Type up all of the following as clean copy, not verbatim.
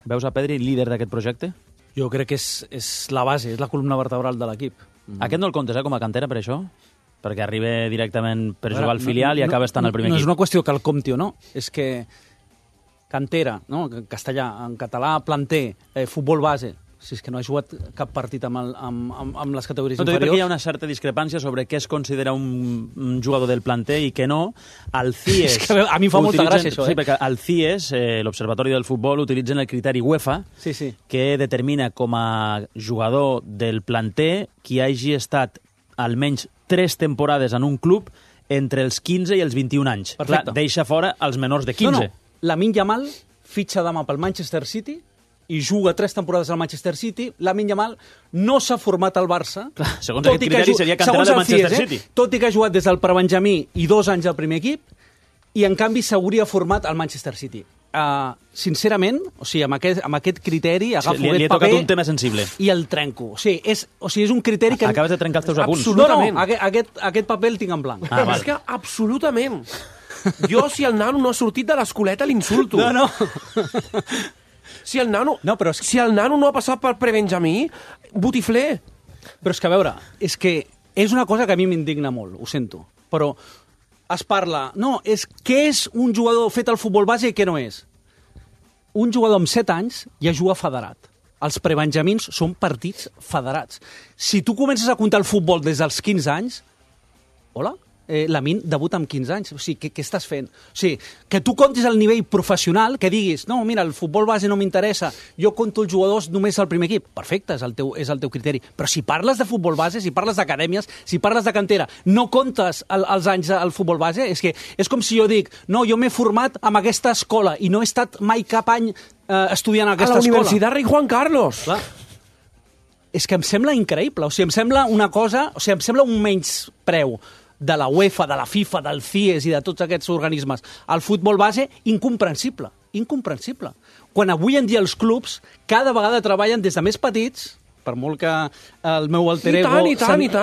Veus a Pedri líder d'aquest projecte? Jo crec que és la base, és la columna vertebral de l'equip. Aquest no el comptes, com a cantera, per això? Perquè arriba directament per jugar al filial i acaba estant al primer equip. No equip. és una qüestió que el compti o no, és que cantera, no? En castellà, en català, planter, futbol base, si és que no ha jugat cap partit amb les categories No, inferiors. perquè hi ha una certa discrepància sobre què es considera un jugador del planter i què no. El CIES... És que a mi em fa molta gràcia, això, Sí, perquè el CIES, l'Observatori del Futbol, utilitzen el criteri UEFA, Sí. que determina com a jugador del planter qui hagi estat almenys 3 temporades en un club entre els 15 i els 21 anys. Perfecte. Clar, deixa fora els menors de 15. No. Lamine Yamal fitxa demà pel Manchester City i juga 3 temporades al Manchester City. Lamine Yamal no s'ha format al Barça. Clar, segons aquest criteri seria cantera del Manchester City. Tot i que ha jugat des del prebenjamí i 2 anys al primer equip, i en canvi s'hauria format al Manchester City. Sincerament, o sigui, amb aquest criteri agafo li he aquest paper tocat un tema sensible. i el trenco. O sigui, és un criteri que... Acabes de trencar els teus apunts. Absolutament. No, aquest paper el tinc en blanc. És que absolutament. Jo, si el nano no ha sortit de l'escoleta, l'insulto. No. Si el nano, No, però si el nano no ha passat per prebenjamí, botifler. Però és que, a veure, és una cosa que a mi m'indigna molt, ho sento, però es parla... No, què és un jugador fet al futbol base i què no és? Un jugador amb 7 anys ja juga federat. Els prebenjamins són partits federats. Si tu comences a comptar el futbol des dels 15 anys... Hola? Lamine debuta amb 15 anys. O sigui, què estàs fent? O sigui, que tu comptis el nivell professional, que diguis, no, mira, el futbol base no m'interessa, jo conto els jugadors només al primer equip. Perfecte, és el teu criteri. Però si parles de futbol base, si parles d'acadèmies, si parles de cantera, no comptes els anys al futbol base, és com si jo dic, no, jo m'he format amb aquesta escola i no he estat mai cap any estudiant a aquesta A la escola. Universitat Rei Juan Carlos. Clar. És que em sembla increïble. O sigui, em sembla una cosa... O sigui, em sembla un menyspreu de la UEFA, de la FIFA, del CIES i de tots aquests organismes. El futbol base, incomprensible. Incomprensible. Quan avui en dia els clubs cada vegada treballen des de més petits, per molt que el meu alter ego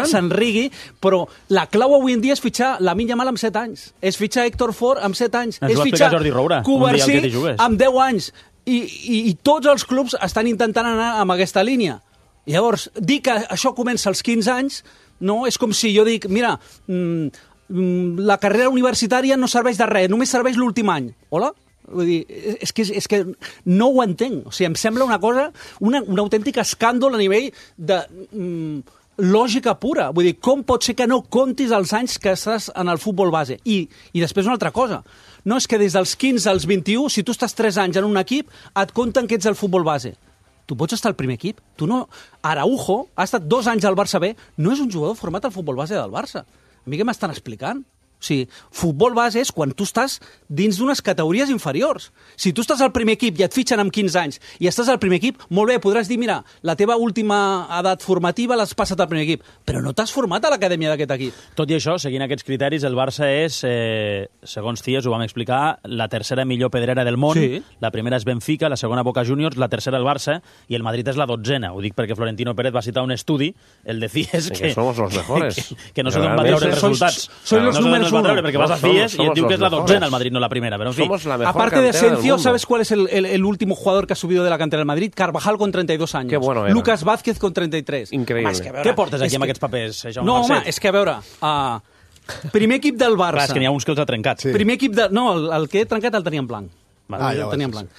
s'enrigui, però la clau avui en dia és fitxar Lamine Yamal amb 7 anys, és fitxar Héctor Fort amb 7 anys, és fitxar Jordi Roura, Covarsí amb 10 anys, i tots els clubs estan intentant anar amb aquesta línia. Llavors, dir que això comença als 15 anys, no, és com si jo dic, mira, la carrera universitària no serveix de res, només serveix l'últim any. Hola? Vull dir, és que no ho entenc. O sigui, em sembla una cosa, un autèntic escàndol a nivell de lògica pura. Vull dir, com pot ser que no comptis els anys que estàs en el futbol base? I després una altra cosa. No, és que des dels 15 als 21, si tu estàs 3 anys en un equip, et compten que ets el futbol base. Tu pots estar al primer equip. Tu no... Araujo ha estat 2 anys al Barça B, no és un jugador format al futbol base del Barça. A mi què m'estan explicant? O sigui, futbol base és quan tu estàs dins d'unes categories inferiors. Si tu estàs al primer equip i et fitxen amb 15 anys i estàs al primer equip, molt bé, podràs dir, mira, la teva última edat formativa l'has passat al primer equip, però no t'has format a l'acadèmia d'aquest equip. Tot i això, seguint aquests criteris, el Barça és, segons CIES, ho vam explicar, la tercera millor pedrera del món. Sí. La primera és Benfica, la segona Boca Juniors, la tercera el Barça, i el Madrid és la 12ª. Ho dic perquè Florentino Pérez va citar un estudi, el de CIES, que somos los mejores. que no sé d'on va treure els resultats. Sois los números uno. Perquè vas a CIES y diu que es la 12ª, el Madrid, no la primera, pero en fin. Somos la mejor Aparte de cantera del Asensio, mundo. ¿sabes cuál es el último jugador que ha subido de la cantera del Madrid? Carvajal con 32 años. Qué bueno era. Lucas Vázquez con 33. Increïble. Home, és que, a veure, Què portes aquí és amb que- aquests papers, Jaume No, home, Marcet? és que a veure... primer equip del Barça. Clar, és que n'hi ha uns que els ha trencat. Sí. Primer equip de... No, el que he trencat el tenia en blanc. Vale. El tenia en blanc.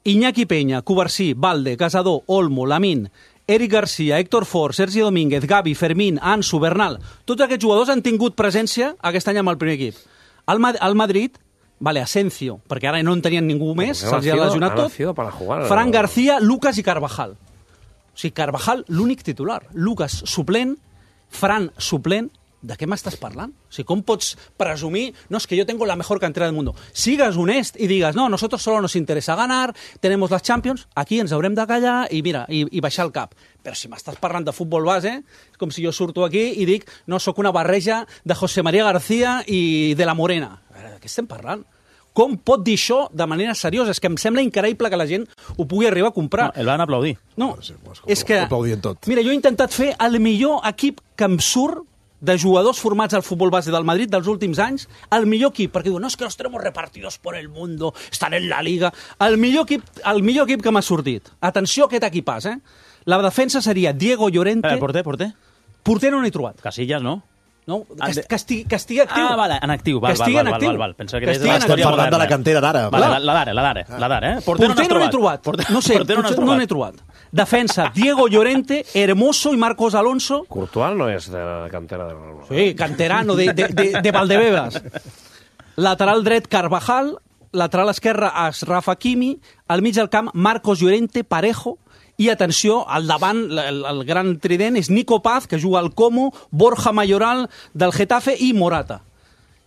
Iñaki Peña, Covarsí, Valde, Casador, Olmo, Lamine, Eric Garcia, Héctor Fort, Sergi Domínguez, Gavi, Fermín, Ansu, Bernal... Tots aquests jugadors han tingut presència aquest any amb el primer equip. Al Madrid, vale, Asensio, perquè ara no en tenien ningú més, se'ls ha lesionat tot. Para jugar. Fran García, Lucas i Carvajal. O sigui, Carvajal, l'únic titular. Lucas, suplent, Fran, suplent. De què m'estàs parlant? O sigui, com pots presumir? No, es que yo tengo la mejor cantera del mundo. Sigues honest i digues, no, nosotros solo nos interesa ganar, tenemos las Champions, aquí ens haurem de callar i mira, i baixar el cap. Però si m'estàs parlant de futbol base, és com si jo surto aquí i dic, no, sóc una barreja de José María García i de la Morena. A veure, de què estem parlant? Com pot dir això de manera seriosa? És que em sembla increïble que la gent ho pugui arribar a comprar. No, el van aplaudir. No, Sí, pues, és que... ho aplaudien tot. Mira, jo he intentat fer el millor equip que em surt de jugadors formats al futbol base del Madrid dels últims anys, el millor equip, perquè diuen, no, es que los tenemos repartidos por el mundo, estan en la Liga. El millor equip que m'ha sortit. Atenció a aquest equipàs, La defensa seria Diego Llorente... Porter? Porter no n'he trobat. Casillas, no? No, que estigui actiu. Ah, vale, en actiu. Val. Pensa que estem parlant de la cantera d'ara. La d'ara. Porter no n'he trobat. No sé, no n'he trobat. Defensa, Diego Llorente, Hermoso i Marcos Alonso. Courtois no és de la cantera de... Sí, canterano de Valdebebas. Lateral dret, Carvajal. Lateral esquerre, Achraf Hakimi. Al mig del camp, Marcos Llorente, Parejo. I atenció, al davant, el gran trident és Nico Paz, que juga al Como, Borja Mayoral del Getafe i Morata.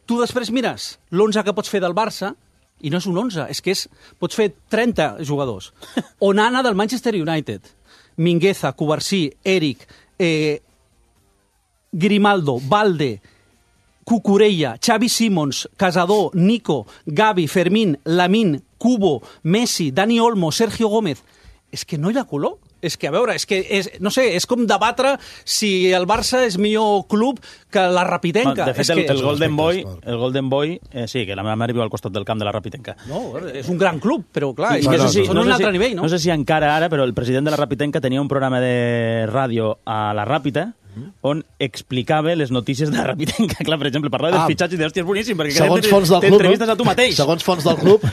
Tu després mires l'11 que pots fer del Barça, i no és un 11, és que pots fer 30 jugadors. Onana del Manchester United, Mingueza, Cubarsí, Eric, Grimaldo, Valde, Cucurella, Xavi Simons, Casador, Nico, Gavi, Fermín, Lamine, Cubo, Messi, Dani Olmo, Sergio Gómez... És que no hi ha color. És que, a veure, no sé, és com debatre si el Barça és millor club que la Rapitenca. De fet, el Golden Boy, sí, que la meva mare viu al costat del camp de la Rapitenca. No, és un gran club, però clar, són un altre nivell, no? No sé si encara ara, però el president de la Rapitenca tenia un programa de ràdio a la Ràpita on explicava les notícies de la Rapitenca. Clar, per exemple, parlava dels fitxatges i d'hòstia, és boníssim, perquè t'entrevistes a tu mateix. Segons fons del club.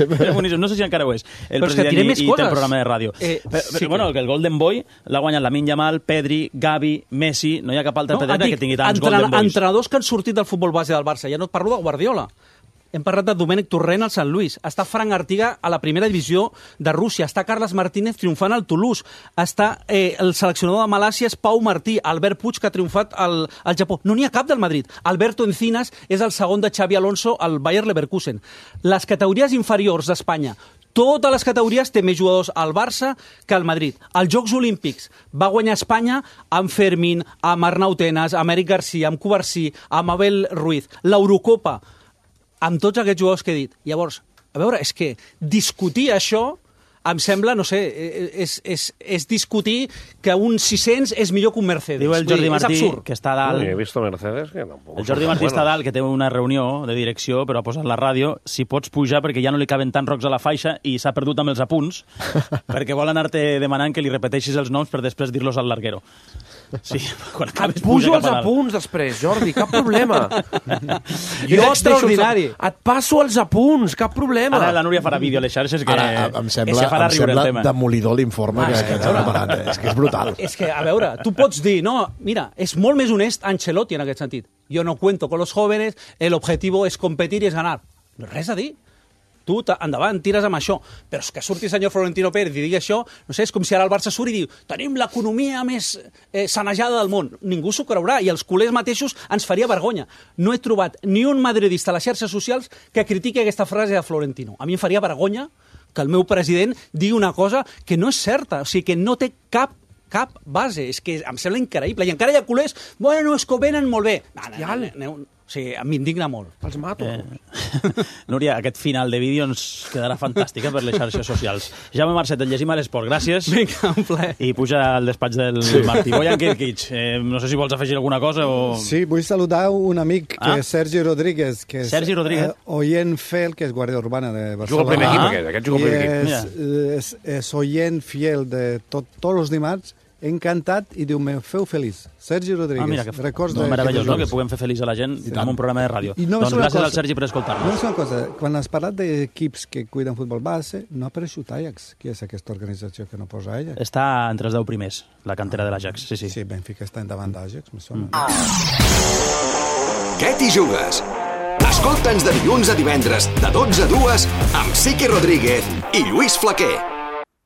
No sé si encara ho és. El president i té el programa de ràdio. Però, bueno, el Golden Boy l'ha guanyat Lamine Yamal, Pedri, Gavi, Messi, no hi ha cap altre pedreta que tingui tants Golden Boys. Entrenadors que han sortit del futbol base del Barça, ja no et parlo de Guardiola. Hem parlat de Domènec Torrent al Sant Lluís. Està Frank Artiga a la primera divisió de Rússia. Està Carles Martínez triomfant al Toulouse. Està el seleccionador de Malàcia és Pau Martí. Albert Puig, que ha triomfat al Japó. No n'hi ha cap del Madrid. Alberto Encinas és el segon de Xavi Alonso al Bayer Leverkusen. Les categories inferiors d'Espanya, totes les categories té més jugadors al Barça que al Madrid. Als Jocs Olímpics va guanyar Espanya amb Fermín, amb Arnau Tenas, amb Eric Garcia, amb Cubarsí, amb Abel Ruiz. L'Eurocopa, amb tots aquests jugadors que he dit. Llavors, a veure, és que discutir això em sembla, no sé, és discutir que un 600 és millor que un Mercedes. Diu el Jordi Martí, que està dalt... No he vist Mercedes, que tampoc... El Jordi Martí està dalt, que té una reunió de direcció, però ha posat la ràdio, si pots pujar perquè ja no li caben tants rocs a la faixa i s'ha perdut amb els apunts, perquè vol anar-te demanant que li repeteixis els noms per després dir-los al larguero. Sí, quan acabes, pujo els apunts després, Jordi, cap problema. Jo extraordinari. Et passo els apunts, cap problema. Ara la Núria farà vídeo a les xarxes que em sembla demolidor l'informe que ens ha preparat. És que és brutal. És que, a veure, tu pots dir, no, mira, és molt més honest Ancelotti en aquest sentit. Jo no cuento con los jóvenes, el objetivo es competir i és ganar. No res a dir. Tu, endavant, tires amb això. Però és que surti el senyor Florentino Pérez i digui això, no sé, és com si ara el Barça surt i diu tenim l'economia més sanejada del món. Ningú s'ho creurà i els culers mateixos ens faria vergonya. No he trobat ni un madridista a les xarxes socials que critiqui aquesta frase de Florentino. A mi em faria vergonya que el meu president digui una cosa que no és certa, o sigui, que no té cap base. És que em sembla increïble. I encara hi ha culers, bueno, és que ho venen molt bé. O sigui, m'indigna molt. Els mato. Núria, aquest final de vídeo ens quedarà fantàstica per les xarxes socials. Jaume Marcet, el llegim a l'esport. Gràcies. Vinga, un plaer. I puja al despatx del Martí. Bojan Kirkic, no sé si vols afegir alguna cosa o... Sí, vull saludar un amic que és Sergi Rodríguez, que és Sergi Rodríguez. oient fiel, que és guàrdia urbana de Barcelona. Juga al primer equip, aquest juga al primer equip. És oient fiel de tots els dimarts, encantat, i diu, me feu feliç. Sergi Rodríguez. Mira, meravellós, no? Que puguem fer feliç a la gent amb un programa de ràdio. Doncs gràcies al Sergi per escoltar-nos. No és una cosa, quan has parlat d'equips que cuiden futbol base, no ha apareixut Ajax. Qui és aquesta organització que no posa Ajax? Està entre els 10 primers, la cantera de l'Ajax, sí. Sí, Benfica està endavant d'Ajax, me sona. Què t'hi jugues? Escolta'ns de dilluns a divendres, de 12 a 2, amb Sique Rodríguez i Lluís Flaquer.